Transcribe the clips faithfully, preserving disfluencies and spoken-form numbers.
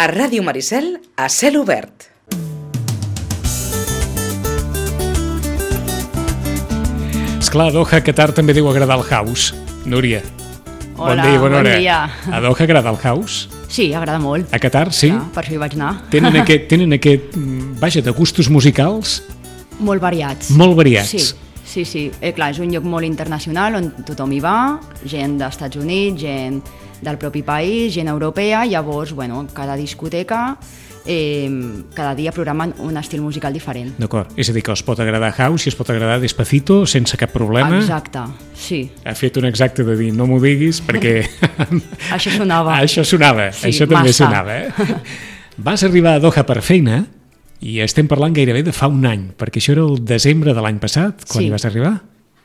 A Ràdio Maricel, a cel obert. Esclar, a Doha, Qatar també deu agradar el house. Núria. Hola, bon dia, bona bon hora. dia. A Doha agrada el house? Sí, agrada molt. A Qatar, sí? Ja, per això hi vaig anar. Tenen aquest, tenen aquest, vaja, de gustos musicals Molt variats. molt variats. Sí, sí, sí. Eh, clar, és un lloc molt internacional on tothom hi va, gent dels Estats Units, gent del propi país, gent europea, llavors, bueno, cada discoteca, eh, cada dia programen un estil musical diferent. D'acord, és a dir, que us pot agradar house i es pot agradar Despacito sense cap problema. Exacte, sí. Ha fet un exacte de dir, no m'ho diguis, perquè... Això sonava. Això sonava, Sí, això també massa. sonava. Eh? Vas arribar a Doha per feina i estem parlant gairebé de fa un any, perquè això era el desembre de l'any passat, quan Sí. hi vas arribar.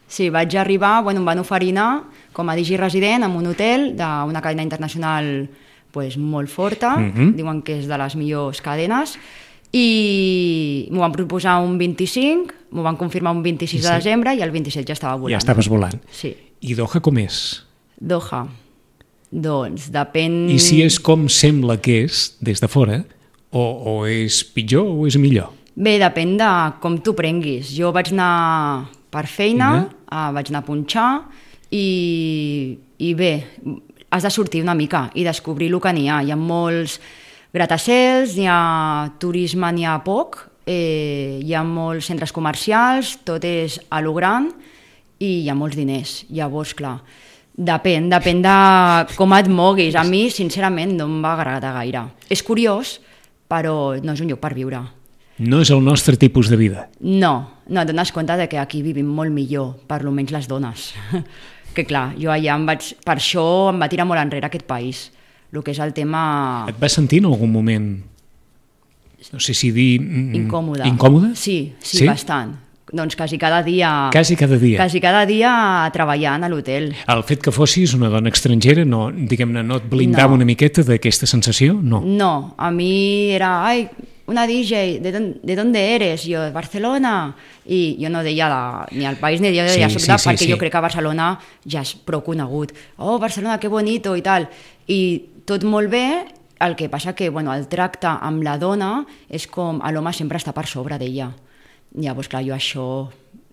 Sí, vaig arribar, bueno, em van oferir anar com a digi resident en un hotel d'una cadena internacional pues, molt forta, Mhm. diuen que és de les millors cadenes, i m'ho van proposar un vint-i-cinc, m'ho van confirmar un vint-i-sis Sí. de desembre i el vint-i-set ja estava volant. Ja estaves volant. Sí. I Doha com és? Doha. Doncs depèn... I si és com sembla que és des de fora, o, o és pitjor o és millor? Bé, depèn de com t'ho prenguis. Jo vaig anar per feina, uh, vaig anar a punxar i, i bé, has de sortir una mica i descobrir el que n'hi ha. Hi ha molts gratacels, hi ha turisme, n'hi ha poc, eh, hi ha molts centres comercials, tot és a lo gran i hi ha molts diners. Llavors, clar, depèn, depèn de com et moguis. A mi, sincerament, no em va agradar gaire. És curiós, però no és un lloc per viure. No és el nostre tipus de vida. No, no, et dones compte de que aquí vivim molt millor, per almenys les dones. Que clar, jo allà em vaig... Per això em va tirar molt enrere aquest país. El que és el tema Et vas sentir en algun moment, no sé si dir... mm, incòmode. Incòmode? Sí, sí, Sí? bastant. Doncs quasi cada dia... Quasi cada dia. Quasi cada dia treballant a l'hotel. El fet que fossis una dona estrangera, no, diguem-ne, no et blindava No. una miqueta d'aquesta sensació? No. No, a mi era... Ai, una D J, ¿de, don, ¿de dónde eres? Jo, de Barcelona. I jo no deia la, ni el país ni jo deia Sí, sí, sí, sí, perquè sí. jo crec que Barcelona ja és prou conegut. Oh, Barcelona, que bonito i tal. I tot molt bé, el que passa que bueno, el tracte amb la dona és com l'home sempre està per sobre d'ella. Llavors, clar, jo això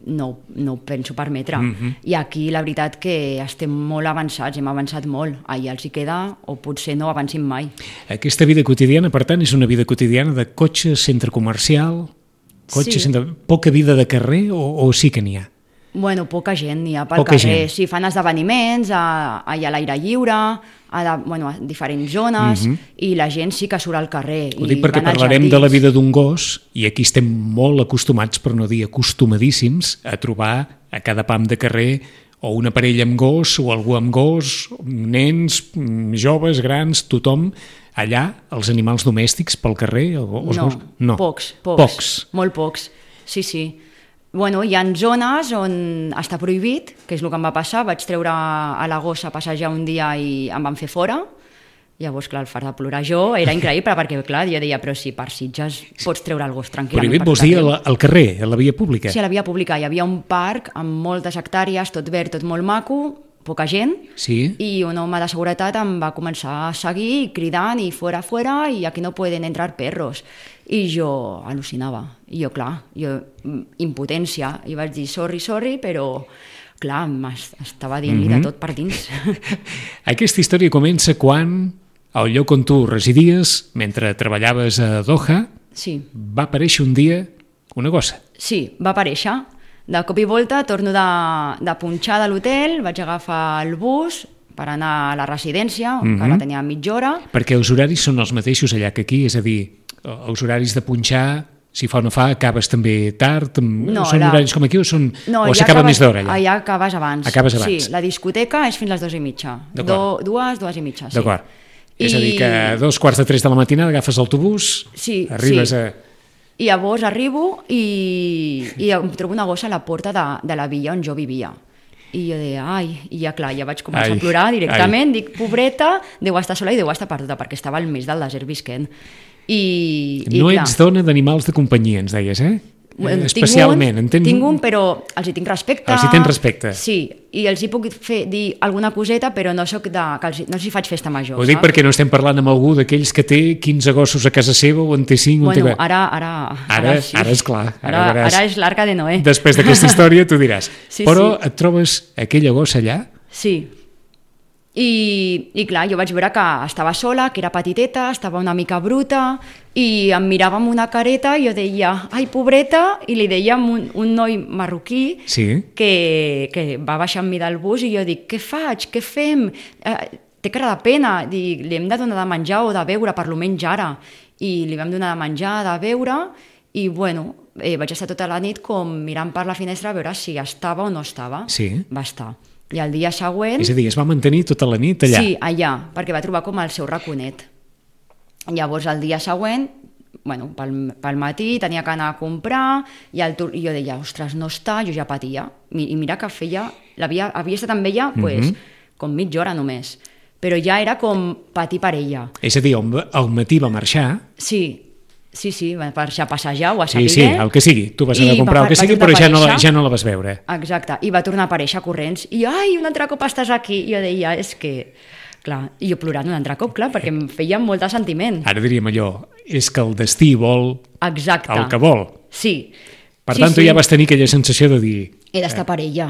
no, no ho penso permetre. Mhm. I aquí la veritat que estem molt avançats, hem avançat molt. Allà els hi queda, o potser no avancin mai. Aquesta vida quotidiana, per tant, és una vida quotidiana de cotxe, centre comercial, cotxe, Sí. centre... poca vida de carrer o, o sí que n'hi ha? Bueno, poca gent n'hi ha pel Poca carrer. gent. Sí, fan esdeveniments a, a, a l'aire lliure, a, la, bueno, a diferents zones, Mhm. i la gent sí que surt al carrer. Ho i dic perquè van als parlarem de la jardins. vida d'un gos i aquí estem molt acostumats, per no dir acostumadíssims, a trobar a cada pam de carrer o una parella amb gos o algú amb gos, nens, mm, joves, grans, tothom allà, els animals domèstics pel carrer? O, els No, gos? no, pocs, pocs, pocs. molt pocs, sí, sí. Bueno, hi ha zones on està prohibit, que és el que em va passar, vaig treure a la gossa a passejar un dia i em van fer fora. Llavors, clar, el far de plorar jo era increïble, perquè, clar, jo deia, però si per Sitges pots treure el gos tranquil·lament. Prohibit per vols tot dir arreu. al, al carrer, a la via pública? Sí, a la via pública hi havia un parc amb moltes hectàrees, tot verd, tot molt maco, poca gent, Sí? i un home de seguretat em va començar a seguir cridant i fora, fora, i aquí no pueden entrar perros. I jo al·lucinava. I jo, clar, jo, mm, impotència, i vaig dir sorry, sorry, però clar, m'estava dient-li Mhm. de tot per dins. Aquesta història comença quan, al lloc on tu residies, mentre treballaves a Doha, Sí, va aparèixer un dia una gossa. sí, va aparèixer. De cop i volta torno de, de punxar de l'hotel, vaig agafar el bus per anar a la residència, Mhm. que la tenia a mitja hora. Perquè els horaris són els mateixos allà que aquí, és a dir, els horaris de punxar, si fa o no fa, acabes també tard? No, són la- horaris com aquí o, són, No, o allà s'acaba acabes- més d'hora allà? Allà acabes abans. Acabes abans. Sí, la discoteca és fins les dues i mitja. D'acord. Do, dues, dues i mitja, sí. D'acord. És I- a dir, que a dos quarts de tres de la matinada agafes l'autobús, Sí, arribes sí. a... I llavors arribo i, i em trobo una gossa a la porta de, de la villa on jo vivia. I jo deia, ai, i ja clar, ja vaig començar Ai, a plorar directament, dic, pobreta, deu estar sola i deu estar perduda, perquè estava al mig del desert visquent. I, i No clar, ets dona d'animals de companyia, ens deies, eh? Eh, especialment, tinc un, entens? Tinc un, però els hi tinc respecte. Els hi tens respecte. Sí, i els hi puc fer, dir alguna coseta, però no soc de, que els, no els hi faig festa major. Ho dic saps? perquè no estem parlant amb algú d'aquells que té quinze gossos a casa seva o en té cinc. Bueno, té... ara, ara, ara, sí. ara és clar. Ara, ara, ara és l'arca de Noé. Després d'aquesta història tu diràs. Sí, però sí. et trobes aquella gossa allà? Sí. I, I clar, jo vaig veure que estava sola, que era petiteta, estava una mica bruta, i em mirava amb una careta i jo deia, ai, pobreta, i li deia a un, un noi marroquí sí. que, que va baixar amb mi del bus i jo dic, què faig, què fem? Eh, té cara de pena, dic, li hem de donar de menjar o de beure, per lo menys ara. I li vam donar de menjar, de beure, i bueno, eh, vaig estar tota la nit com mirant per la finestra a veure si estava o no estava. Sí. Va estar. I el dia següent... És a dir, es va mantenir tota la nit allà? Sí, allà, perquè va trobar com el seu raconet. Llavors, el dia següent, bueno, pel, pel matí tenia que anar a comprar i, el, i jo deia, ostres, no està, jo ja patia. I, i mira que feia... Havia, havia estat amb ella pues, mm-hmm. com mitja hora només. Però ja era com patir per ella. És a dir, al matí va marxar... Sí, sí, sí, per passejar o a saber. Sí, sí, el que sigui. Tu vas anar a comprar el que sigui, però ja no, la, ja no la vas veure. Exacte, i va tornar a aparèixer corrents. I, ai, un altre cop estàs aquí. I jo deia, és que... Clar, i jo plorant un altre cop, clar, perquè em feia molt de sentiment. Ara diríem allò, és que el destí vol Exacte. el que vol. Sí. Per sí, tant, tu sí. ja vas tenir aquella sensació de dir... He d'estar per ella,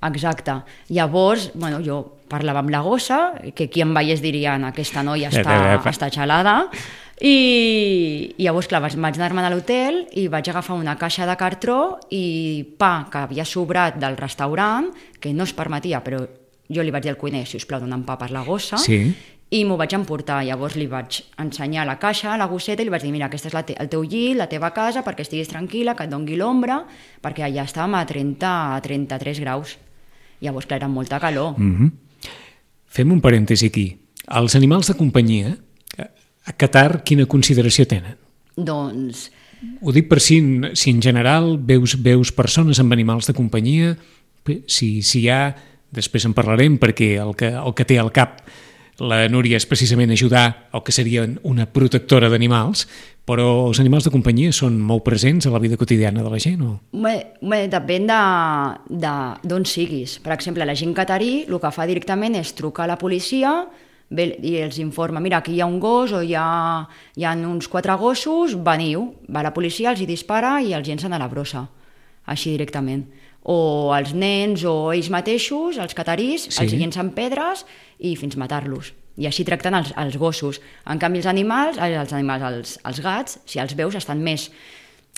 exacte. Llavors, bueno, jo parlava amb la gossa, que qui em veiés dirien, aquesta noia està, està xalada, i, i llavors, clar, vaig anar-me'n a l'hotel i vaig agafar una caixa de cartró i pa que havia sobrat del restaurant, que no es permetia, però jo li vaig dir al cuiner, si us plau, dona'm pa per la gossa, sí. i m'ho vaig emportar. Llavors li vaig ensenyar la caixa, la gosseta, i li vaig dir, mira, aquesta és la te el teu llit, la teva casa, perquè estiguis tranquil·la, que et dongui l'ombra, perquè allà estàvem a trenta a trenta-tres graus. Llavors, clar, era molta calor. Mm-hmm. Fem un parèntesi aquí. Els animals de companyia, a Qatar, quina consideració tenen? Doncs... Ho dic per si, si en general veus, veus persones amb animals de companyia, si, si hi ha, després en parlarem, perquè el que, el que té al cap la Núria és precisament ajudar el que seria una protectora d'animals, però els animals de companyia són molt presents a la vida quotidiana de la gent, o? Bé, bé, depèn d'on siguis. Per exemple, la gent catarí el que fa directament és trucar a la policia i els informa, mira, aquí hi ha un gos o hi ha, hi ha uns quatre gossos, veniu, va la policia, els hi dispara i els llencen a la brossa, així directament. O els nens o ells mateixos, els catarís, sí. els llencen pedres i fins matar-los. I així tracten els, els gossos. En canvi, els animals, els, animals els, els gats, si els veus, estan més,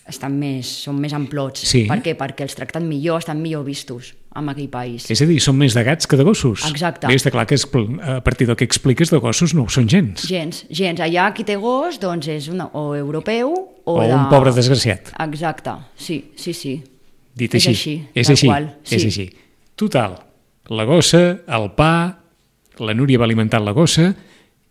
estan més, són més amplots. Sí. Per què? Perquè els tracten millor, estan millor vistos en aquell país. És a dir, són més de gats que de gossos. Exacte. Bé, està clar que és, a partir del que expliques de gossos no ho són gens. Gens, gens. Allà qui té gos doncs és una, o europeu o, o de... un pobre desgraciat. Exacte, sí, sí, sí. Dit és així. així, És així, qual, sí. és així. Total, la gossa, el pa, la Núria va alimentar la gossa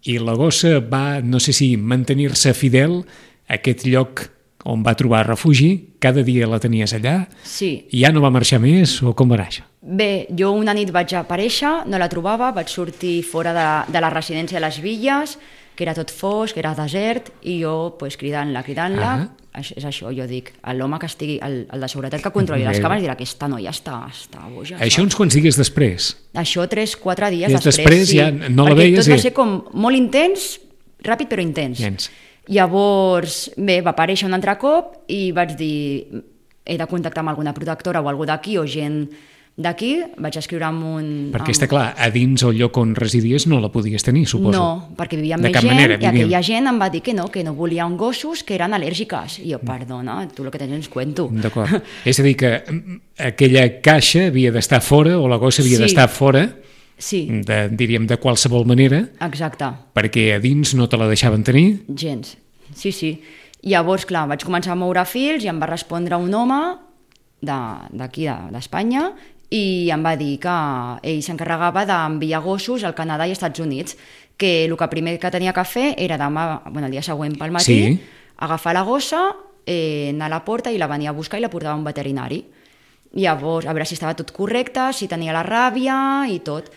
i la gossa va, no sé si mantenir-se fidel a aquest lloc on va trobar refugi, cada dia la tenies allà, sí. I ja no va marxar més, o com va anar això? Bé, jo una nit vaig aparèixer, no la trobava, vaig sortir fora de, de la residència de les Villes, que era tot fosc, que era desert, i jo pues, cridant-la, cridant-la, ah. és això, jo dic, l'home que estigui, el, el de seguretat que controli les càmeres dirà, aquesta noia està, està boja. Això uns quants dies després? Això tres, quatre dies I després, després sí. Ja no la perquè veies? tot va I... ser com molt intens, ràpid però intens. Gens. Llavors, bé, va aparèixer un altre cop i vaig dir, he de contactar amb alguna protectora o algú d'aquí o gent d'aquí, vaig escriure amb un... Perquè amb... està clar, a dins el lloc on residies no la podies tenir, suposo. No, perquè vivia amb de més gent manera, i aquella gent em va dir que no, que no volien gossos que eren al·lèrgiques. I jo, perdona, tu el que tens ens cuento. D'acord. És a dir que aquella caixa havia d'estar fora o la gossa havia sí. d'estar fora, sí. de, diríem de qualsevol manera, exacte. Perquè a dins no te la deixaven tenir. Gens, sí, sí. Llavors, clar, vaig començar a moure fils i em va respondre un home d'aquí, de, d'Espanya, i em va dir que ell s'encarregava d'enviar gossos al Canadà i als Estats Units, que el que primer que tenia que fer era demà, bueno, el dia següent pel matí, sí. agafar la gossa, eh, anar a la porta i la venia a buscar i la portava a un veterinari. Llavors, a veure si estava tot correcte, si tenia la ràbia i tot.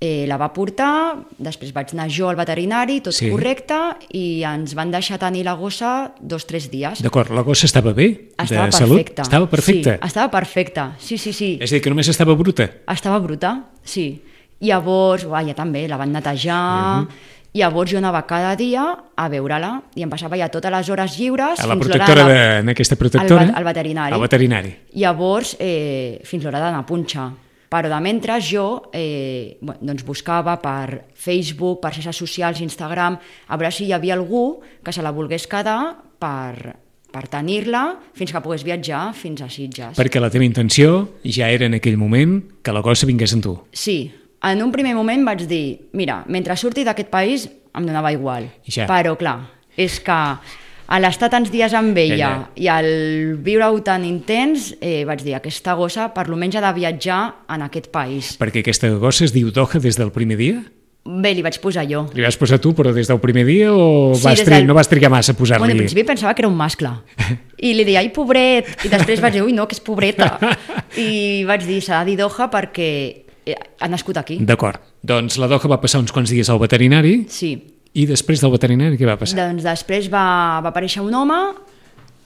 eh, la va portar, després vaig anar jo al veterinari, tot Sí. correcte, i ens van deixar tenir la gossa dos o tres dies. D'acord, la gossa estava bé? Estava de salut? perfecta. Estava perfecta? Sí, estava perfecta, sí, sí, sí. És a dir, que només estava bruta? Estava bruta, sí. Llavors, uah, ja també, la van netejar... Uh-huh. Llavors jo anava cada dia a veure-la i em passava ja totes les hores lliures... A la fins protectora, l'hora de, en aquesta protectora? Al, al veterinari. Al veterinari. Llavors, eh, fins l'hora d'anar a punxar. Però de mentre jo eh, bueno, doncs buscava per Facebook, per xarxes socials, Instagram, a veure si hi havia algú que se la volgués quedar per, per tenir-la fins que pogués viatjar fins a Sitges. Perquè la teva intenció ja era en aquell moment que la gossa vingués amb tu. Sí. En un primer moment vaig dir, mira, mentre surti d'aquest país em donava igual. Ja. Però, clar, és que a l'estar tants dies amb ella Ella. i al viure-ho tan intens, eh, vaig dir, aquesta gossa per almenys ha de viatjar en aquest país. Perquè aquesta gossa es diu Doha des del primer dia? Bé, li vaig posar jo. Li vas posar tu, però des del primer dia o Sí, vas des tri... del- no vas trigar massa a posar-li? Bueno, al principi pensava que era un mascle. I li deia, ai, pobret. I després vaig dir, ui, no, que és pobreta. I vaig dir, s'ha de dir Doha perquè ha nascut aquí. D'acord. Doncs la Doha va passar uns quants dies al veterinari Sí. i després del veterinari què va passar? Doncs després va, va aparèixer un home,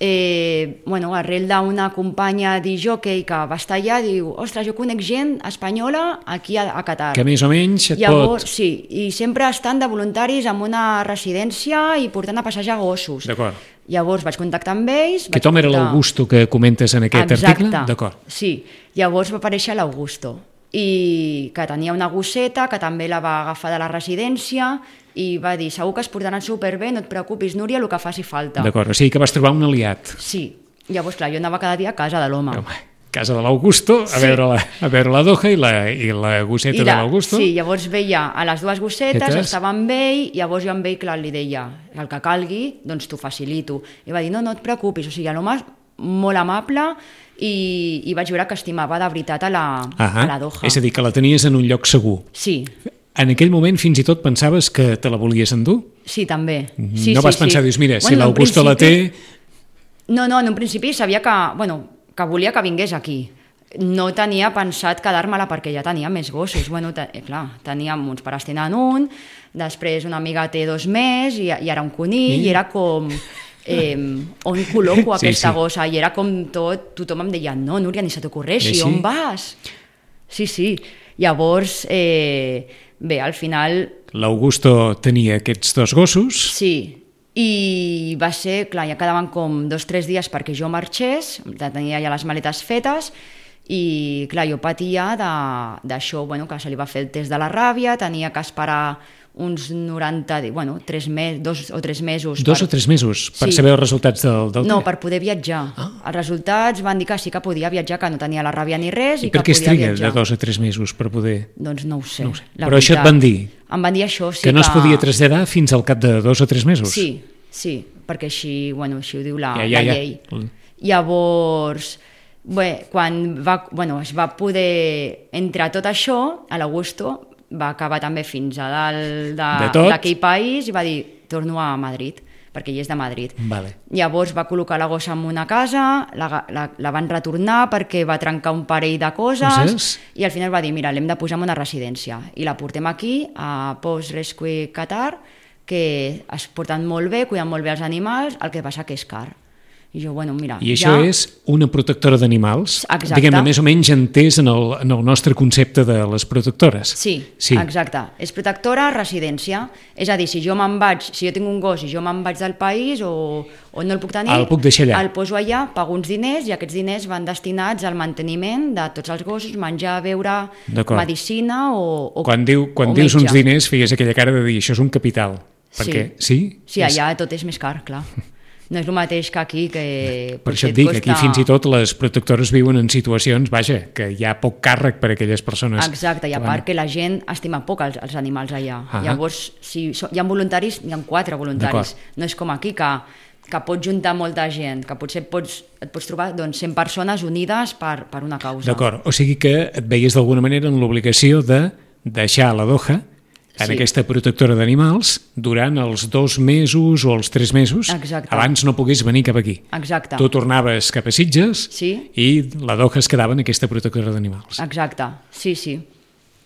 eh, bueno, arrel d'una companya d'Ijockey que va estar allà, diu, ostres, jo conec gent espanyola aquí a, a Qatar. Que més o menys et Llavors, pot... sí, i sempre estan de voluntaris en una residència i portant a passejar gossos. D'acord. Llavors vaig contactar amb ells... Aquest vaig home era portar- l'Augusto que comentes en aquest Exacte. article? D'acord. Sí, llavors va aparèixer l'Augusto, i que tenia una gosseta que també la va agafar de la residència i va dir, segur que es portaran superbé, no et preocupis, Núria, el que faci falta. D'acord, o sigui que vas trobar un aliat. Sí, llavors, clar, jo anava cada dia a casa de l'home. Home, casa de l'Augusto, a, Sí. veure la, a veure la Doha i la, i la gosseta I de la- l'Augusto. Sí, llavors veia a les dues gossetes, Gossetes. estava amb ell, llavors jo amb ell, clar, li deia, el que calgui, doncs t'ho facilito. I va dir, no, no et preocupis, o sigui, l'home molt amable i, i vaig veure que estimava de veritat a la, Ahà. a la Doha. És a dir, que la tenies en un lloc segur. Sí, En aquell moment fins i tot pensaves que te la volies endur? sí, també. Sí, no sí, vas pensar, sí. dius, mira, si Bueno, en un l'Augusto la té... principi- No, no, en un principi sabia que, bueno, que volia que vingués aquí. No tenia pensat quedar-me-la perquè ja tenia més gossos. Bueno, te, eh, clar, teníem uns pares tenen un, després una amiga té dos més i, i ara un conill, I? i era com... Eh, on col·loco Sí, aquesta sí. gossa? I era com tot, tothom em deia, no, Núria, ni se t'ocorreixi, I així? on vas? Sí, sí. Llavors, eh, bé, al final L'Augusto tenia aquests dos gossos. sí, i va ser, clar, ja quedaven com dos o tres dies perquè jo marxés, ja tenia ja les maletes fetes, i clar, jo patia de- d'això, bueno, que se li va fer el test de la ràbia, tenia que esperar uns noranta, di- bueno, tres mes, dos o tres mesos. Dos per- o tres mesos per Sí. saber els resultats del, del No, test. per poder viatjar. Ah. Els resultats van dir que sí que podia viatjar, que no tenia la ràbia ni res, i, I per que què es podia triga viatjar. de dos o tres mesos per poder... Doncs no ho sé. No ho sé. la Però això et veritat. van dir? Em van dir això, sí que no es podia traslladar fins al cap de dos o tres mesos? Sí, sí, perquè així, bueno, així ho diu la, Ja, ja, la ja. llei. Llavors, bé, quan va, bueno, es va poder entrar tot això, a l'Augusto va acabar també fins a dalt De de- tot? d'aquell país i va dir, torno a Madrid, perquè ell és de Madrid. Vale. Llavors va col·locar la gossa en una casa, la, la, la van retornar perquè va trencar un parell de coses, Coses? i al final va dir, mira, l'hem de posar en una residència i la portem aquí, a Post Rescue Qatar, que es porten molt bé, cuiden molt bé els animals, el que passa que és car. I jo, bueno, mira... I això ja... és una protectora d'animals? Exacte. Diguem-ne, més o menys entès en el, en el nostre concepte de les protectores. Sí, sí, exacte. És protectora, residència. És a dir, si jo me'n vaig, si jo tinc un gos i jo me'n vaig del país o, o no el puc tenir... El puc deixar allà. El poso allà, pago uns diners i aquests diners van destinats al manteniment de tots els gossos, menjar, beure, D'acord. medicina o, o Quan, diu, quan o dius metge. uns diners feies aquella cara de dir això és un capital. Perquè, sí? Sí, allà tot és més car, clar. No és el mateix que aquí, que... Per això potser et dic, costa... aquí fins i tot les protectores viuen en situacions, vaja, que hi ha poc càrrec per a aquelles persones. Exacte, i a que part van- que la gent estima poc els, els animals allà. Ah. Llavors, si so- hi ha voluntaris, hi ha quatre voluntaris. D'acord. No és com aquí, que, que pots juntar molta gent, que potser et pots, et pots trobar doncs, cent persones unides per, per una causa. D'acord, o sigui que et veies d'alguna manera en l'obligació de deixar la Doha en Sí. aquesta protectora d'animals durant els dos mesos o els tres mesos. Exacte. Abans no pogués venir cap aquí. Exacte. Tu tornaves cap a Sitges Sí. i la Doha es quedava en aquesta protectora d'animals. Exacte, sí, sí.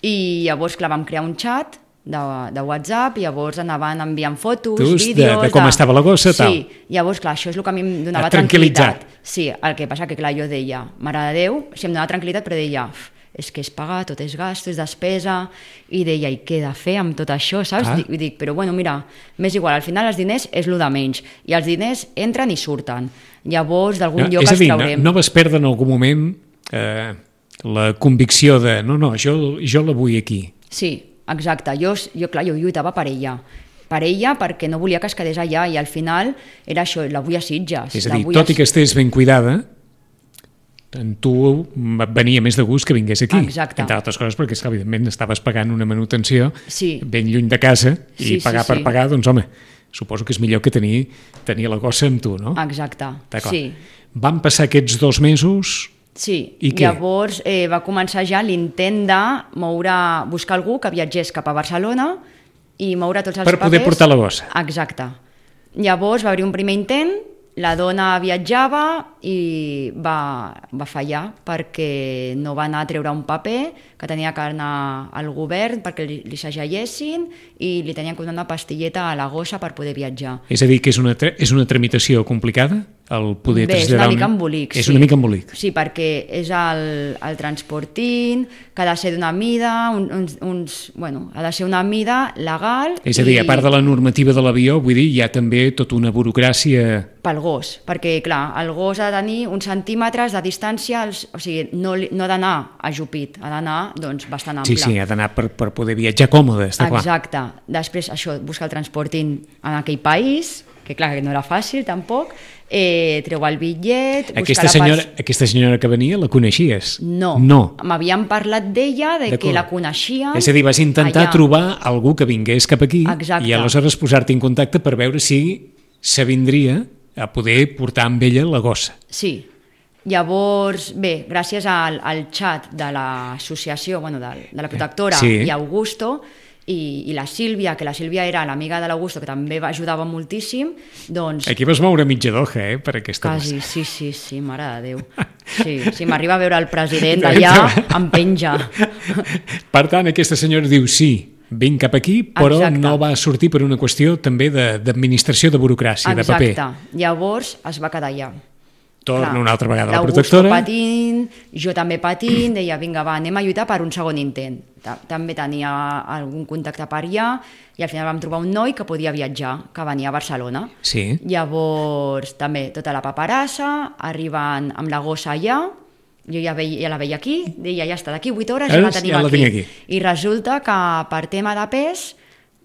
I llavors, clar, vam crear un xat de, de WhatsApp i llavors anaven enviant fotos, Tus, vídeos... De, de com de... estava la gossa, sí, tal. Sí, llavors, clar, això és el que a mi em donava tranquil·litzat. tranquil·litat. Sí, el que passa que, clar, jo deia, mare de Déu, si em donava tranquil·litat, però deia, és que és pagar, tot és gasto, és despesa, i deia, i què he de fer amb tot això, saps? Ah. Dic, dic, però bueno, mira, m'és igual, al final els diners és el de menys, i els diners entren i surten. Llavors, d'algun No, lloc és a els dir, traurem. no, no vas perdre en algun moment eh, la convicció de no, no, jo, jo la vull aquí. Sí, exacte. Jo, jo, clar, jo lluitava per ella. Per ella perquè no volia que es quedés allà i al final era això, la vull a Sitges. És a dir, la vull tot a... i que estés ben cuidada, en tu et venia més de gust que vingués aquí. Exacte. Entre altres coses perquè, esclar, evidentment, estaves pagant una manutenció Sí. ben lluny de casa i Sí, sí, pagar sí. per pagar, doncs home, suposo que és millor que tenir, tenir la gossa amb tu, no? Exacte, D'acord. sí. Van passar aquests dos mesos... Sí, I què? llavors eh, va començar ja l'intent de moure, buscar algú que viatgés cap a Barcelona i moure tots els Per papers. poder portar la gossa. Exacte. Llavors va haver un primer intent, la dona viatjava i va, va fallar perquè no va anar a treure un paper que tenia que anar al govern perquè li, li segellessin i li tenien que donar una pastilleta a la gossa per poder viatjar. És a dir, que és una, tra- és una tramitació complicada? El poder Bé, és traslladar una mica embolic, És sí. una mica embolic. Sí, perquè és el, el transportint, que ha de ser d'una mida, un, uns, uns, bueno, ha de ser una mida legal... És a dir, i a part de la normativa de l'avió, vull dir, hi ha també tota una burocràcia... pel gos, perquè, clar, el gos ha de tenir uns centímetres de distància, als, o sigui, no, li- no ha d'anar ajupit, ha d'anar, doncs, bastant ample. Sí, sí, ha d'anar per, per poder viatjar còmode, està clar. Exacte. Després, això, buscar el transportint en aquell país, que clar, que no era fàcil tampoc, eh, treu el bitllet... Aquesta buscar la senyora, pas- aquesta senyora que venia, la coneixies? No, No. m'havien parlat d'ella, de que D'acord. la coneixien... És a dir, vas intentar allà. trobar algú que vingués cap aquí Exacte. i aleshores posar-te en contacte per veure si s'avindria a poder portar amb ella la gossa. Sí. Llavors, bé, gràcies al, al xat de l'associació, bueno, de, de la protectora Sí. i Augusto, i, i la Sílvia, que la Sílvia era l'amiga de l'Augusto, que també va ajudava moltíssim, doncs... Aquí vas moure mitja doja, eh, per aquesta Quasi, gossa. sí, sí, sí, mare de Déu. Sí, si m'arriba a veure el president d'allà, em penja. Per tant, aquesta senyora diu sí, vinc cap aquí, però Exacte. no va sortir per una qüestió també de- d'administració, de, de burocràcia, de paper. Exacte. Llavors es va quedar allà. Torna Clar, una altra vegada a la l'Augusto protectora. patint, jo també patint, deia, vinga, va, anem a lluitar per un segon intent. Ta- També tenia algun contacte per allà i al final vam trobar un noi que podia viatjar, que venia a Barcelona. Sí. Llavors, també tota la paperassa, arriben amb la gossa allà, jo ja, veia, ja la veia aquí, deia, ja està, d'aquí vuit hores ja la Veus? tenim Ja la aquí. tinc aquí. I resulta que per tema de pes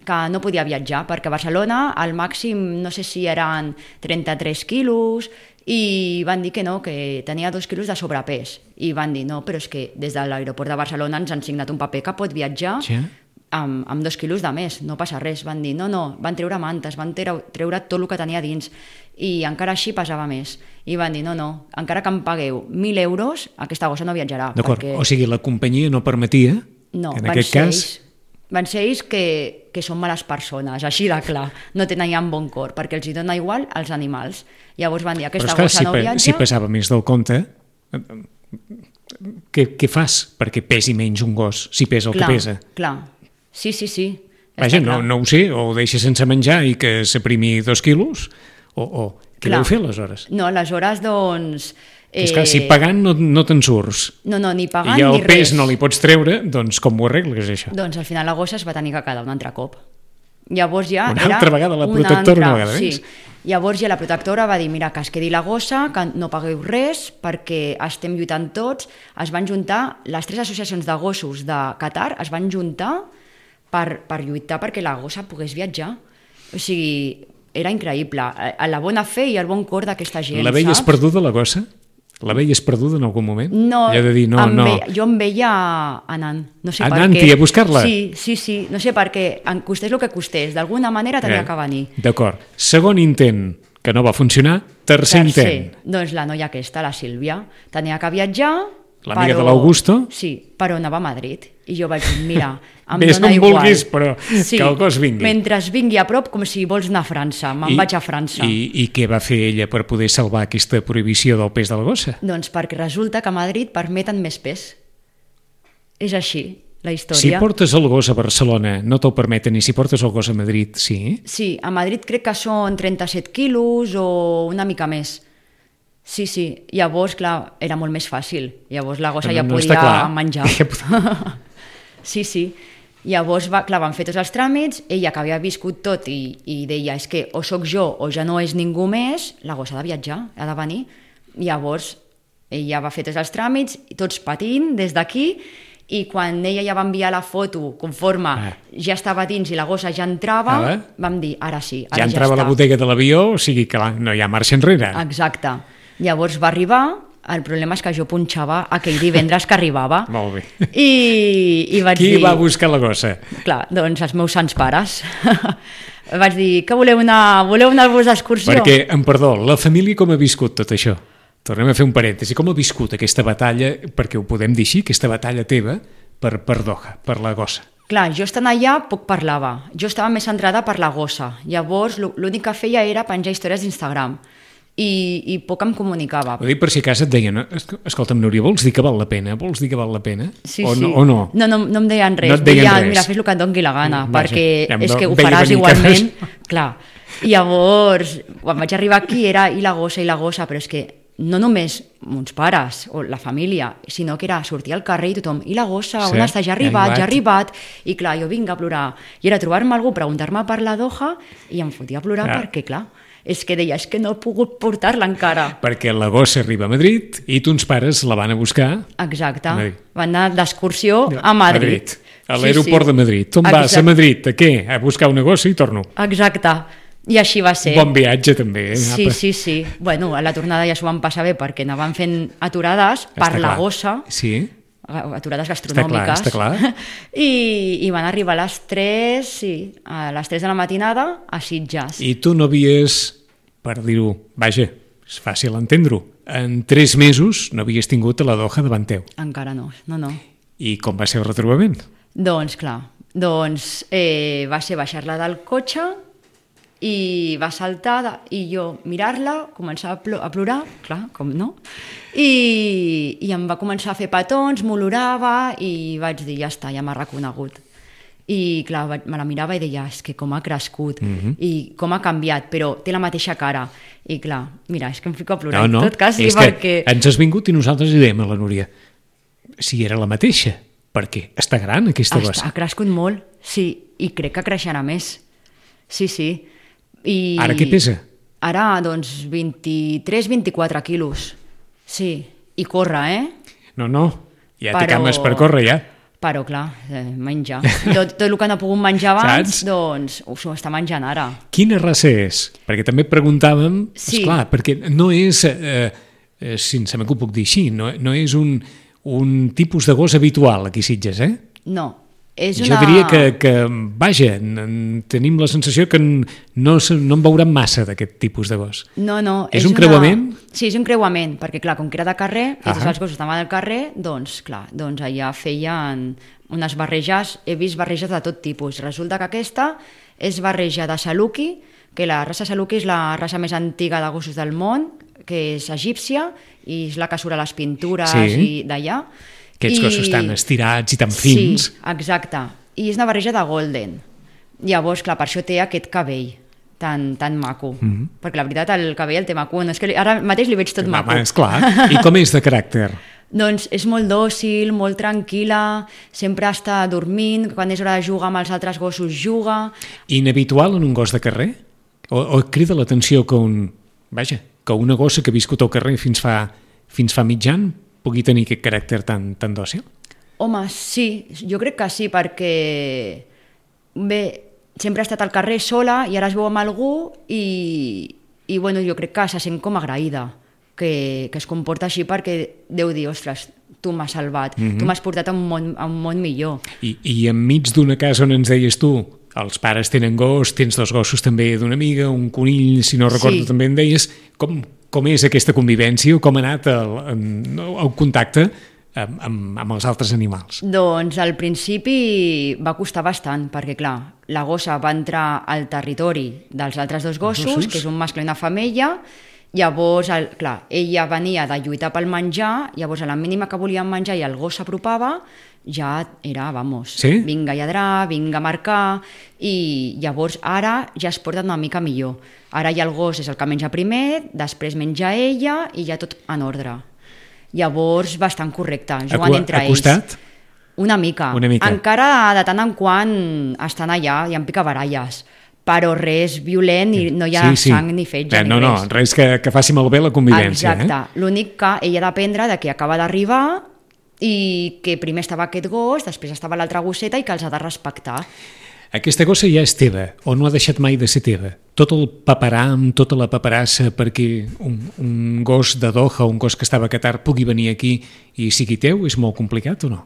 que no podia viatjar, perquè a Barcelona al màxim, no sé si eren trenta-tres quilos, i van dir que no, que tenia dos quilos de sobrepès. I van dir, no, però és que des de l'aeroport de Barcelona ens han signat un paper que pot viatjar Ja. amb, amb dos quilos de més, no passa res. Van dir, no, no, van treure mantes, van treure, treure tot el que tenia dins, i encara així pesava més. I van dir, no, no, encara que em pagueu mil euros, aquesta gossa no viatjarà. D'acord, perquè... o sigui, la companyia no permetia, No, en van aquest ser cas... ells, van ser ells que, que són males persones, així de clar, no tenen bon cor, perquè els hi dona igual als animals. Llavors van dir, Però aquesta esclar, gossa si, no pe- viatja... si pesava més del compte, què, què fas perquè pesi menys un gos, si pesa el clar, que pesa? Clar, sí, sí, sí. Vaja, està no, clar. no ho sé, o ho deixa sense menjar i que s'aprimi dos quilos, o, o què Clar. deu fer aleshores? No, aleshores, doncs... Eh... És clar, si pagant no, no te'n surts, No, no, ni pagant i el ni pes res. no li pots treure, doncs com ho arregles, això? Doncs al final la gossa es va tenir que quedar un altre cop. Llavors ja Una era altra vegada la una protectora, una altra, vegada sí. més. Llavors ja la protectora va dir, mira, que es quedi la gossa, que no pagueu res, perquè estem lluitant tots. Es van juntar, les tres associacions de gossos de Qatar es van juntar per, per lluitar perquè la gossa pogués viatjar. O sigui, era increïble. A la bona fe i el bon cor d'aquesta gent, La veies saps? perduda, la gossa? La veies perduda en algun moment? No, I ha de dir, no, em no. Ve, jo em veia anant, no sé Anant per què. i a buscar-la? Sí, sí, sí, no sé per què, en costés el que costés, d'alguna manera tenia Eh, que venir. D'acord. Segon intent, que no va funcionar. Tercer, intent. Doncs la noia aquesta, la Sílvia, tenia que viatjar... L'amiga però- de l'Augusto? Sí, però anava a Madrid. I jo vaig dir, mira, em Ves dona on igual. vulguis, però que el gos vingui. Mentre vingui a prop, com si vols anar a França. Me'n vaig a França. I, I què va fer ella per poder salvar aquesta prohibició del pes de la gossa? Doncs perquè resulta que a Madrid permeten més pes. És així. la història. Si portes el gos a Barcelona no t'ho permeten, i si portes el gos a Madrid, sí? Sí, a Madrid crec que són trenta-set quilos o una mica més. Sí, sí. Llavors, clar, era molt més fàcil. Llavors la gossa no, ja no podia menjar. Ja... Sí, sí. Llavors, va, clar, van fer tots els tràmits, ella que havia viscut tot i, i deia, és que o sóc jo o ja no és ningú més, la gossa ha de viatjar, ha de venir. Llavors, ella va fer tots els tràmits, tots patint des d'aquí, i quan ella ja va enviar la foto conforme ah. ja estava dins i la gossa ja entrava, ah, vam dir, ara sí, ara ja ja entrava està. A la botega de l'avió, o sigui que no hi ha marxa enrere. Exacte. Llavors va arribar, el problema és que jo punxava aquell divendres que arribava. Molt bé. I, i vaig Qui dir... va buscar la gossa? Clar, doncs els meus sants pares. Vaig dir, que voleu anar, voleu anar-vos d'excursió? Perquè, em perdó, la família com ha viscut tot això? Tornem a fer un parèntesi. Com ha viscut aquesta batalla, perquè ho podem dir així, aquesta batalla teva per, per Doha, per la gossa? Clar, jo estant allà poc parlava. Jo estava més centrada per la gossa. Llavors, l'únic que feia era penjar històries d'Instagram. I, i poc em comunicava. Ho dic per si a casa et deien, escolta'm, Núria, vols dir que val la pena? Vols dir que val la pena? Sí, o, sí. no, o no? No, no, no em deien res. No et deien Deia, res. Mira, fes el que et doni la gana, Mm, perquè ja és do- que ho veia faràs venir que igualment. fes- Clar. I llavors, quan vaig arribar aquí, era i la gossa, i la gossa, però és que no només mons pares o la família, sinó que era sortir al carrer i tothom, i la gossa, Sí, on està? Ja ha ja ha arribat, ja ha arribat. arribat. I clar, jo vinc a plorar. I era trobar-me algú, preguntar-me per la Doha, i em fotia a plorar Clar. perquè, clar, és que deia, és que no he pogut portar-la encara. Perquè la gossa arriba a Madrid i tons pares la van a buscar Exacte. A Madrid. Van anar d'excursió a Madrid. A l'aeroport Sí, sí. de Madrid. On vas? Exacte. A Madrid. A què? A buscar una gossa i torno. Exacte. I així va ser. Bon viatge, també. Eh? Sí, Apa. sí, sí. Bueno, a la tornada ja s'ho van passar bé perquè anaven fent aturades per Està la clar. gossa, Sí. aturades Està gastronòmiques. clar, està clar. I, I van arribar a les tres, sí, a les tres de la matinada a Sitges. I tu no havies, per dir-ho, vaja, és fàcil entendre-ho, en tres mesos no havies tingut a la Doha davant teu. Encara no, no, no. I com va ser el retrobament? Doncs clar, doncs eh, va ser baixar-la del cotxe i va saltar de, i jo mirar-la, començar a, plo a plorar, clar, com no, i, i em va començar a fer petons, m'olorava i vaig dir, ja està, ja m'ha reconegut. I clar, vaig, me la mirava i deia, és que com ha crescut Mhm. i com ha canviat, però té la mateixa cara. I clar, mira, és que em fico a plorar No, no, en tot cas, és perquè... que ens has vingut i nosaltres li dèiem a la Núria si era la mateixa, perquè està gran aquesta Està, gossa. ha crescut molt, sí, i crec que creixerà més. Sí, sí. I Ara què pesa? Ara, doncs, vint-i-tres vint-i-quatre quilos. Sí, i corre, eh? No, no, ja té Però- cames per córrer, ja. Però, clar, eh, menjar. Tot, tot el que no ha pogut menjar abans, Saps? doncs ho s'ho està menjant ara. Quina raça és? Perquè també preguntàvem, Sí. esclar, perquè no és, eh, eh, sincerament que ho puc dir així, no, no és un, un tipus de gos habitual aquí a Sitges, eh? No, és Jo una... diria que, que vaja, n- tenim la sensació que n- no, se- no en veurem massa d'aquest tipus de gos. No, no. És un una- creuament? Sí, és un creuament, perquè clar, com que era de carrer, i tots Ahà. els gossos estaven al carrer, doncs clar, doncs allà feien unes barreges, he vist barreges de tot tipus. Resulta que aquesta és barreja de Saluki, que la raça Saluki és la raça més antiga de gossos del món, que és egípcia, i és la que surt a les pintures Sí. i d'allà. Aquests I- gossos tan estirats i tan fins. Sí, exacte. I és una barreja de golden. Llavors, clar, per això té aquest cabell tan, tan maco. Mm -hmm. Perquè la veritat, el cabell el té maco. No, és que li- ara mateix li veig tot maco. Home, esclar. I com és de caràcter? Doncs és molt dòcil, molt tranquil·la, sempre està dormint, quan és hora de jugar amb els altres gossos juga. Inhabitual en un gos de carrer? O, o et crida l'atenció que un... Vaja, que una gossa que ha viscut al carrer fins fa, fins fa mig any pugui tenir aquest caràcter tan, tan dòcil? Home, sí, jo crec que sí, perquè bé, sempre ha estat al carrer sola i ara es veu amb algú i, i bueno, jo crec que se sent com agraïda que, que es comporta així perquè deu dir, ostres, tu m'has salvat, mm -hmm. tu m'has portat a un món, a un món millor. I, i enmig d'una casa on ens deies tu, els pares tenen gos, tens dos gossos també d'una amiga, un conill, si no recordo Sí. també em deies, com, com és aquesta convivència o com ha anat el, el, el contacte amb, amb, amb els altres animals? Doncs al principi va costar bastant, perquè clar, la gossa va entrar al territori dels altres dos gossos, gossos? que és un mascle i una femella, llavors, el, clar, ella venia de lluitar pel menjar, llavors a la mínima que volien menjar i el gos s'apropava, ja era, vamos, sí? vinga a lladrar, vinga a marcar, i llavors ara ja es porta una mica millor. Ara ja el gos és el que menja primer, després menja ella i ja tot en ordre. Llavors, bastant correcte, jugant entre ells. Ha costat? Una mica. Una mica. Encara de tant en quant estan allà, hi ha picabaralles, però res violent i no hi ha sí, sí. sang ni fetge eh, ni no, res. No, res que, que faci malbé la convivència. Exacte. Eh? L'únic que ella ha d'aprendre de que acaba d'arribar i que primer estava aquest gos, després estava l'altra gosseta i que els ha de respectar. Aquesta gossa ja és teva, o no ha deixat mai de ser teva? Tot el paperam, tota la paperassa perquè un, un gos de Doha, un gos que estava a Qatar, pugui venir aquí i sigui teu, és molt complicat o no?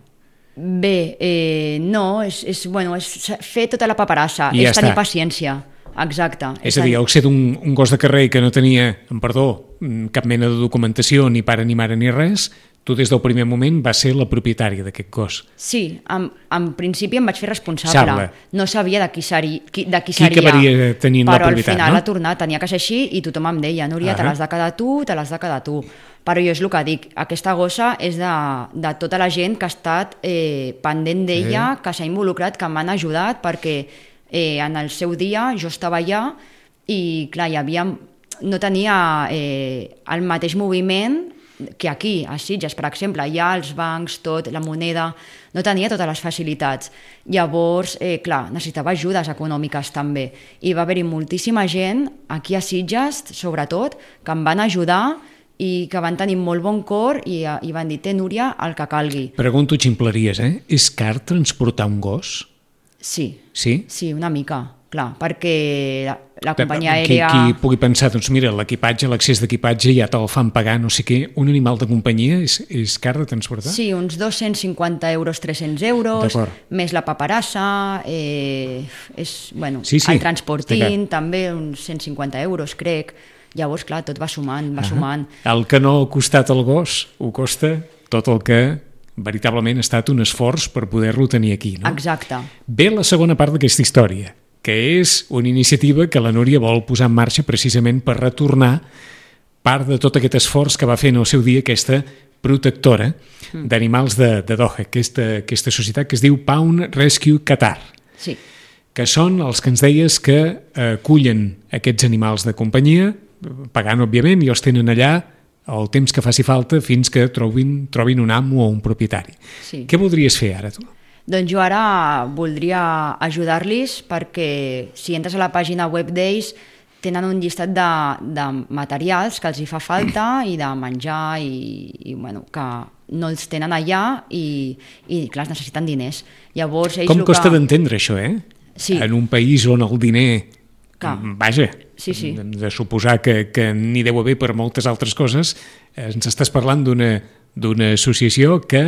Bé, eh, no, és, és, bueno, és fer tota la paperassa, I és ja tenir està. paciència, exacte. És, és a dir, el ser d'un un gos de carrer que no tenia, en perdó, cap mena de documentació, ni pare ni mare ni res, tu des del primer moment vas ser la propietària d'aquest gos. Sí, en, en principi em vaig fer responsable. Sable. No sabia de qui, seri, qui, de qui, qui seria, acabaria tenint la propietat, però al final no? ha tornat, tenia que ser així i tothom em deia, Núria, uh-huh. te l'has de quedar tu, te l'has de quedar tu. Però jo és el que dic, aquesta gossa és de, de tota la gent que ha estat eh, pendent d'ella, eh. que s'ha involucrat, que m'han ajudat, perquè eh, en el seu dia jo estava allà i clar, hi havia, no tenia eh, el mateix moviment que aquí, a Sitges, per exemple, allà els bancs, tot, la moneda, no tenia totes les facilitats. Llavors, eh, clar, necessitava ajudes econòmiques també. I va haver-hi moltíssima gent, aquí a Sitges, sobretot, que em van ajudar i que van tenir molt bon cor i, i van dir, té, Núria, el que calgui. Pregunto ximpleries, eh? És car transportar un gos? Sí. Sí? Sí, una mica, clar, perquè la, la companyia qui, aèria... Qui pugui pensar, doncs mira, l'equipatge, l'accés d'equipatge ja te'l fan pagar, no sé què, un animal de companyia és, és car de transportar? Sí, uns dos-cents cinquanta euros, tres-cents euros, més la paperassa, eh, és, bueno, sí, sí, el transportint, també uns cent cinquanta euros, crec. Llavors, clar, tot va sumant, va uh-huh. sumant. El que no ha costat el gos, ho costa tot el que veritablement ha estat un esforç per poder-lo tenir aquí, no? Exacte. Ve la segona part d'aquesta història, que és una iniciativa que la Núria vol posar en marxa precisament per retornar part de tot aquest esforç que va fer en el seu dia aquesta protectora mm. d'animals de, de Doha, aquesta, aquesta societat que es diu Pawn Rescue Qatar. Sí. Que són els que ens deies que acullen aquests animals de companyia, pagant, òbviament, i els tenen allà el temps que faci falta fins que trobin, trobin un amo o un propietari. Sí. Què voldries fer ara, tu? Doncs jo ara voldria ajudar-los perquè si entres a la pàgina web d'ells tenen un llistat de, de materials que els hi fa falta i de menjar i, i bueno, que no els tenen allà i, i clar, es necessiten diners. Llavors, ells Com costa que... d'entendre això, eh? Sí. En un país on el diner... Que... Vaja, sí, sí. De, de suposar que, que n'hi deu haver per moltes altres coses, ens estàs parlant d'una d'una associació que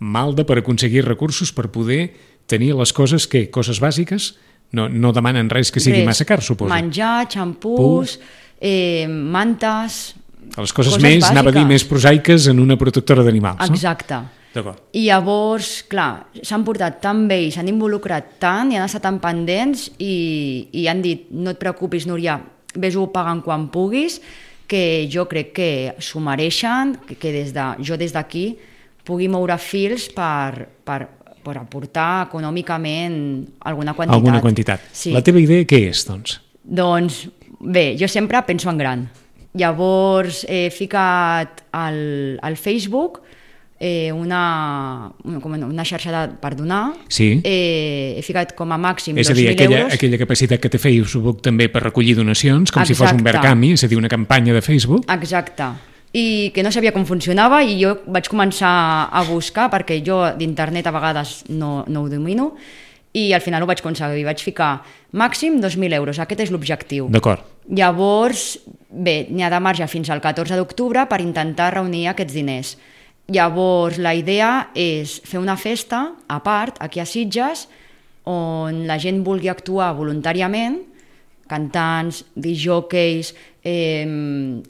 malda per aconseguir recursos per poder tenir les coses, que coses bàsiques, no, no demanen res que sigui res. Massa car, suposo. Menjar, xampús, eh, mantes... Les coses, coses més, bàsiques. Anava a dir, més prosaiques en una protectora d'animals, no? Exacte. I llavors, clar, s'han portat tan bé i s'han involucrat tant i han estat tan pendents i, i han dit, no et preocupis, Núria, ves-ho pagant quan puguis, que jo crec que s'ho mereixen, que, que des de, jo des d'aquí pugui moure fils per, per, per aportar econòmicament alguna quantitat. Alguna quantitat. Sí. La teva idea què és, doncs? Doncs, bé, jo sempre penso en gran. Llavors he ficat al, al Facebook Eh, una, una xarxa de, per donar, sí. eh, he ficat com a màxim dos mil euros. És a dir, aquella, aquella capacitat que té Facebook també per recollir donacions, com Exacte. Si fos un Verkami, és a dir, una campanya de Facebook. Exacte. I que no sabia com funcionava i jo vaig començar a buscar, perquè jo d'internet a vegades no, no ho domino, i al final ho vaig aconseguir. Vaig ficar màxim dos mil euros, aquest és l'objectiu. D'acord. Llavors, bé, n'hi ha de marge fins al catorze d'octubre per intentar reunir aquests diners. Llavors, la idea és fer una festa a part, aquí a Sitges, on la gent vulgui actuar voluntàriament, cantants, disjòqueis, eh,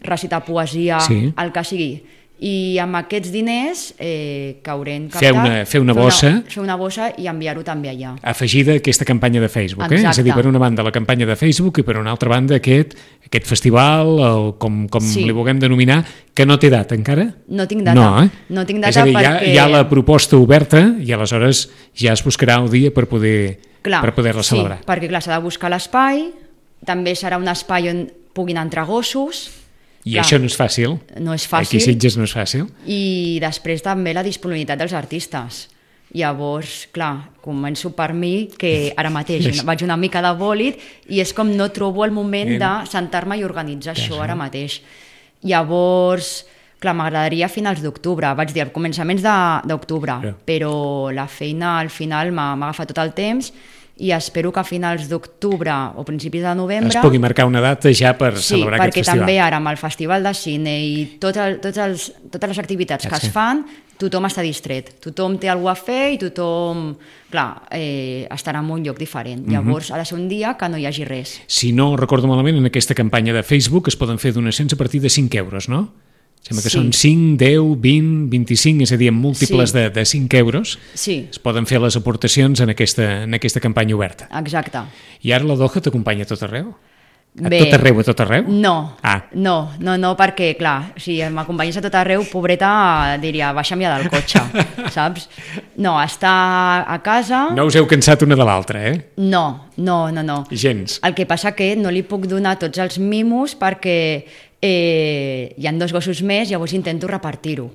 recitar poesia, sí. El que sigui. I amb aquests diners eh, que haurem captat... Fer una, fer una bossa... Fer una, fer una bossa i enviar-ho també allà. Afegida a aquesta campanya de Facebook, eh? Exacte. És a dir, per una banda la campanya de Facebook i per una altra banda aquest, aquest festival, o com, com Sí. li vulguem denominar, que no té data encara? No tinc data. No, eh? No tinc data és a dir, perquè... hi ha, hi ha la proposta oberta i aleshores ja es buscarà el dia per poder Clar, per poder-la sí, celebrar. perquè clar, s'ha de buscar l'espai, també serà un espai on puguin entrar gossos. I Clar, això no és fàcil. No és fàcil. Aquí a Sitges no és fàcil. I després també la disponibilitat dels artistes. Llavors, clar, començo per mi, que ara mateix És- vaig una mica de bòlit i és com no trobo el moment Bien. de sentar-me i organitzar Ja, això sí. ara mateix. Llavors, clar, m'agradaria a finals d'octubre, vaig dir, a començaments de- d'octubre, Ja. però la feina al final m'ha m'ha agafat tot el temps i espero que a finals d'octubre o principis de novembre... Es pugui marcar una data ja per Sí, celebrar perquè aquest festival. també ara amb el Festival de Cine i tot el, tots els, totes les activitats Ja que sé. es fan, tothom està distret, tothom té alguna cosa a fer i tothom, clar, eh, estarà en un lloc diferent. Mhm. Llavors ha de ser un dia que no hi hagi res. Si no recordo malament, en aquesta campanya de Facebook es poden fer donacions a partir de cinc euros, no? Sembla que Sí. són cinc, deu, vint, vint-i-cinc, és a dir, en múltiples Sí. de, de cinc euros Sí, es poden fer les aportacions en aquesta, en aquesta campanya oberta. exacte. I ara la Doha t'acompanya a tot arreu? A Bé, tot arreu, a tot arreu? No, Ah. no, no, no, perquè, clar, si m'acompanyés a tot arreu, pobreta, diria, baixa'm ja del cotxe, saps? No, està a casa... No us heu cansat una de l'altra, eh? No, no, no, no. Gens. El que passa que no li puc donar tots els mimos perquè eh, hi ha dos gossos més, llavors intento repartir-ho.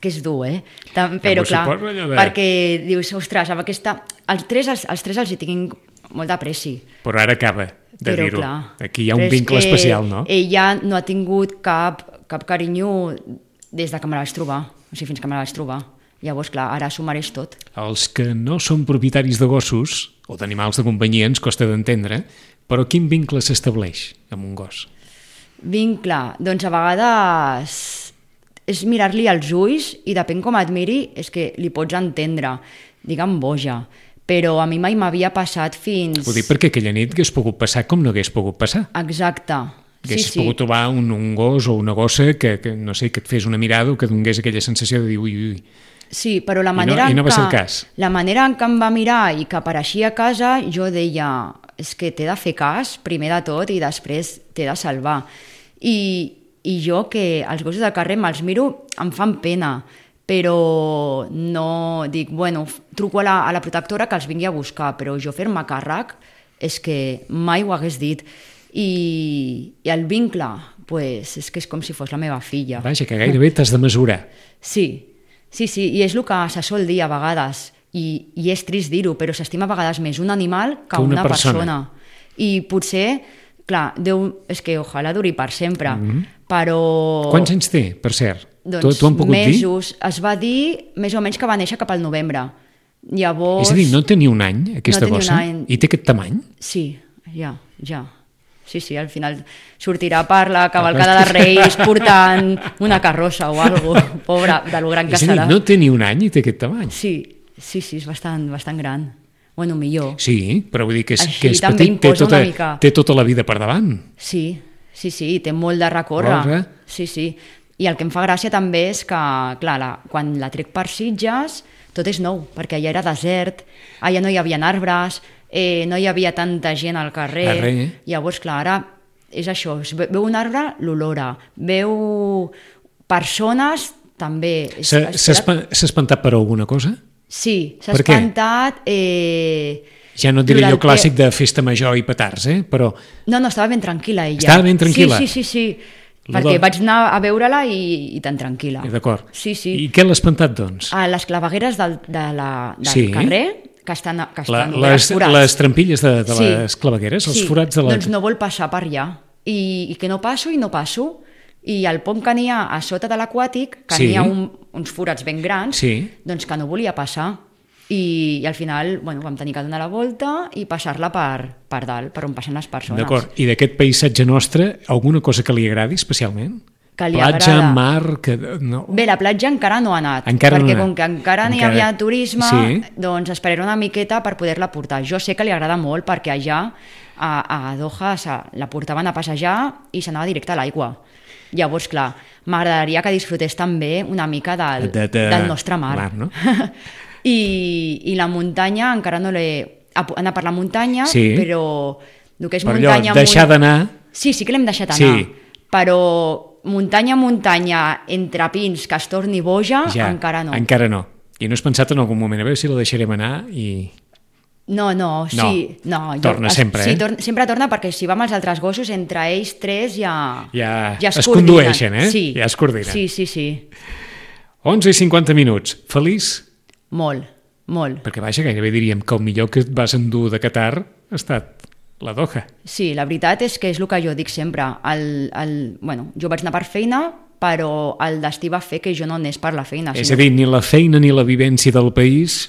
Que és dur, eh? Tam, però, m'ho clar, suposo, allò de- perquè dius, ostres, amb aquesta... Els tres, els, els tres els hi tinc molt d'apreci. Però ara acaba de Però, dir-ho. clar, Aquí hi ha un però és vincle que especial, no? Ella no ha tingut cap, cap carinyo des de que me la vaig trobar, o sigui, fins que me la vaig trobar. Llavors, clar, ara s'ho mereix tot. Els que no són propietaris de gossos o d'animals de companyia ens costa d'entendre, però quin vincle s'estableix amb un gos? Vincle, doncs a vegades és mirar-li als ulls i depèn com et miri, és que li pots entendre, digue'm boja, però a mi mai m'havia passat fins... Vull dir, perquè aquella nit hagués pogut passar com no hagués pogut passar. Exacte. Sí, Haguessis sí. pogut trobar un, un gos o una gossa que, que, no sé, que et fes una mirada o que et donés aquella sensació de dir ui, ui. Sí, però la no- manera, i no en va que, ser el cas. la manera en què em va mirar i que apareixia a casa, jo deia, és que t'he de fer cas, primer de tot, i després t'he de salvar. I, i jo, que els gossos de carrer me'ls miro, em fan pena, però no dic, bueno, f- truco a la, a la protectora que els vingui a buscar, però jo fer-me càrrec és que mai ho hagués dit. I, i el vincle, pues, és que és com si fos la meva filla. Vaja, que gairebé t'has de mesurar. Sí, sí, sí, i és el que se sol dir a vegades, i, i és trist dir-ho, però s'estima a vegades més un animal que, Que una una persona. persona. I potser, clar, Déu, és que ojalà duri per sempre, però... Quants anys té, per cert? Doncs T'ho- t'ho han pogut dir? mesos, es va dir més o menys que va néixer cap al novembre. Llavors... És a dir, no té ni un any, aquesta No té ni un gossa? any. I té aquest tamany? Sí, ja, ja. Sí, sí, al final sortirà per la cavalcada de Reis portant una carrossa o alguna cosa, pobra, de lo gran que És a dir, serà. no té ni un any i té aquest tamany. Sí, sí, sí, és bastant, bastant gran. Bueno, millor. Sí, però vull dir que és, Així que és també petit, té imposa tota, una mica. té tota la vida per davant. Sí, sí, sí, té molt de recórrer. Corre. Sí, sí. I el que em fa gràcia també és que, clar, la, quan la trec per Sitges, tot és nou, perquè allà era desert, allà no hi havia arbres, eh, no hi havia tanta gent al carrer. Arre. Llavors, clar, ara és això, es ve- veu un arbre, l'olora, veu persones, també. És- S'ha es- s'ha espa- s'ha espantat per alguna cosa? Sí, s'ha Per què? espantat... Eh, Ja no et diré durant allò el clàssic de festa major i petards, eh? Però No, no, estava ben tranquil·la ella. Estava ben tranquil·la? Sí, sí, sí, sí. Lo Perquè del- vaig anar a veure-la i, i tan tranquil·la. eh, d'acord. Sí, sí. I què l'ha espantat, doncs? A les clavegueres del, de la, del Sí. carrer, que estan, que La, estan les, forats. les trampilles de, de Sí. les clavegueres, els Sí. forats de la... Doncs no vol passar per allà. I, I que no passo i no passo. I el pont que n'hi ha a sota de l'aquàtic, que Sí. n'hi ha un, uns forats ben grans, Sí. doncs que no volia passar. I, i al final bueno, vam tenir que donar la volta i passar-la per, per dalt, per on passen les persones. D'acord. I d'aquest paisatge nostre, alguna cosa que li agradi especialment? que li platja, agrada. mar... Que, no. Bé, la platja encara no ha anat, Encara perquè no ha com anat. que encara no hi Encara- havia turisme, Sí. doncs esperaré una miqueta per poder-la portar. Jo sé que li agrada molt perquè allà a, a Doha se, la portaven a passejar i s'anava directe a l'aigua. Llavors, clar, m'agradaria que disfrutés també una mica del, De- de- del nostre mar. mar, no? I, I la muntanya encara no l'he... ha anat per la muntanya, Sí. però el que és Per allò, muntanya... deixar munt- d'anar... Sí, sí que l'hem deixat anar, Sí. però muntanya, muntanya, entre pins, que es torni boja, Ja, encara no. Encara no. I no has pensat en algun moment, a veure si la deixarem anar i... No, no, sí. No, torna sempre, sí, eh? Tor sempre torna perquè si va amb els altres gossos, entre ells tres ja... Ja ja es, es coordinen. condueixen, eh? Sí. Ja es coordinen. Sí, sí, sí. onze i cinquanta minuts. Feliç? Molt, molt. Perquè, vaja, gairebé diríem que el millor que et vas endur de Qatar ha estat la Doha. Sí, la veritat és que és el que jo dic sempre. El, el, bueno, jo vaig anar per feina, però el destí va fer que jo no anés per la feina. És a dir, ni la feina ni la vivència del país,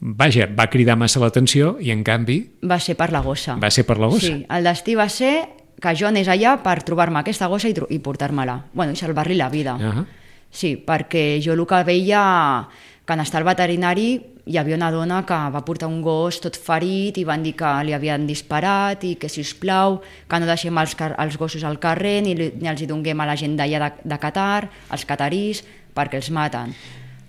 vaja, va cridar massa l'atenció i, en canvi, Va ser per la gossa. va ser per la gossa. Sí, el destí va ser que jo anés allà per trobar-me aquesta gossa i, tro- i portar-me-la. Bueno, i salvar-li la vida. Ah. Sí, perquè jo el que veia, que en estar al veterinari hi havia una dona que va portar un gos tot ferit i van dir que li havien disparat i que, si us plau, que no deixem els, car els gossos al carrer ni, li- ni els hi donguem a la gent d'allà de, de Qatar, els catarís, perquè els maten.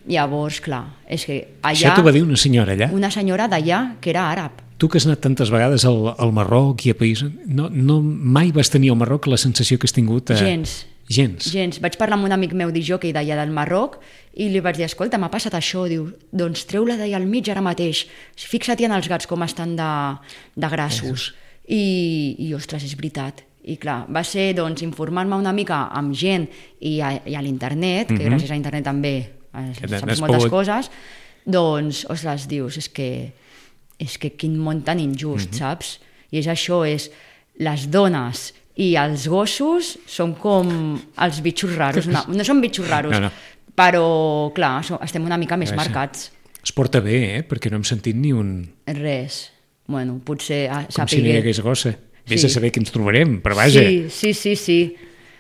Llavors, clar, és que allà... Això t'ho va dir una senyora allà? Una senyora d'allà que era àrab. Tu que has anat tantes vegades al, al Marroc i a països... No, no, mai vas tenir al Marroc la sensació que has tingut... A... Gens. Gens. Gens. Vaig parlar amb un amic meu d'Ijockey d'allà del Marroc i li vaig dir, escolta, m'ha passat això. Diu, doncs treu-la d'allà al mig ara mateix. Fixa't en els gats com estan de, de grassos. I, I, ostres, és veritat. I clar, va ser doncs, informar-me una mica amb gent i a, i a l'internet, que Mhm. gràcies a internet també eh, Que saps n'has moltes pogut- coses, doncs, ostres, dius, és que, és que quin món tan injust, saps? I és això, és les dones i els gossos són com els bitxos raros. No, no són bitxos raros, No, no. però, clar, so- estem una mica més Vaja. marcats. Es porta bé, eh? Perquè no hem sentit ni un... Res. Bueno, potser ah, Com si no hi sapigué. hagués gossa. Vés Sí. a saber què ens trobarem, però vaja. Sí, sí, sí, sí.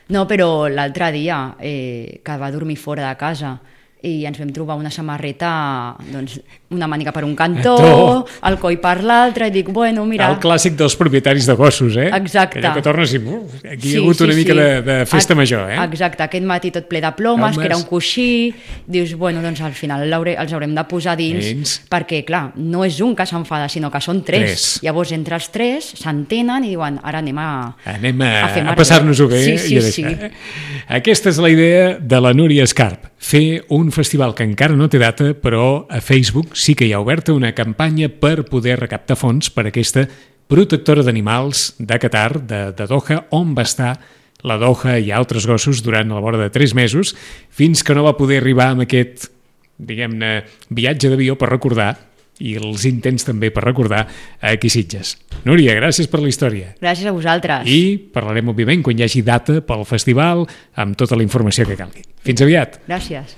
No, però l'altre dia, eh, que va dormir fora de casa i ens vam trobar una samarreta, doncs, una màniga per un cantó, To. el coll per l'altre, i dic, bueno, mira... El clàssic dels propietaris de gossos, eh? Exacte. Allò que tornes i... Uf, aquí hi ha hagut una mica de, de festa Ex- major, eh? Exacte, aquest matí tot ple de plomes, Plomes. que era un coixí, dius, bueno, doncs al final l'hauré- els haurem de posar dins, Dins. perquè, clar, no és un que s'enfada, sinó que són tres. Tres. Llavors, entre els tres, s'entenen i diuen, ara anem a... Anem a, a fer a merda. passar-nos-ho bé. Sí, sí, i a sí. deixar, eh? Aquesta és la idea de la Núria Escarp, fer un festival que encara no té data, però a Facebook sí que hi ha oberta una campanya per poder recaptar fons per aquesta protectora d'animals de Qatar, de, de Doha, on va estar la Doha i altres gossos durant la vora de tres mesos, fins que no va poder arribar amb aquest, diguem-ne, viatge d'avió per recordar, i els intents també per recordar, aquí a Sitges. Núria, gràcies per la història. Gràcies a vosaltres. I parlarem, òbviament, quan hi hagi data pel festival, amb tota la informació que calgui. Fins aviat! Gràcies.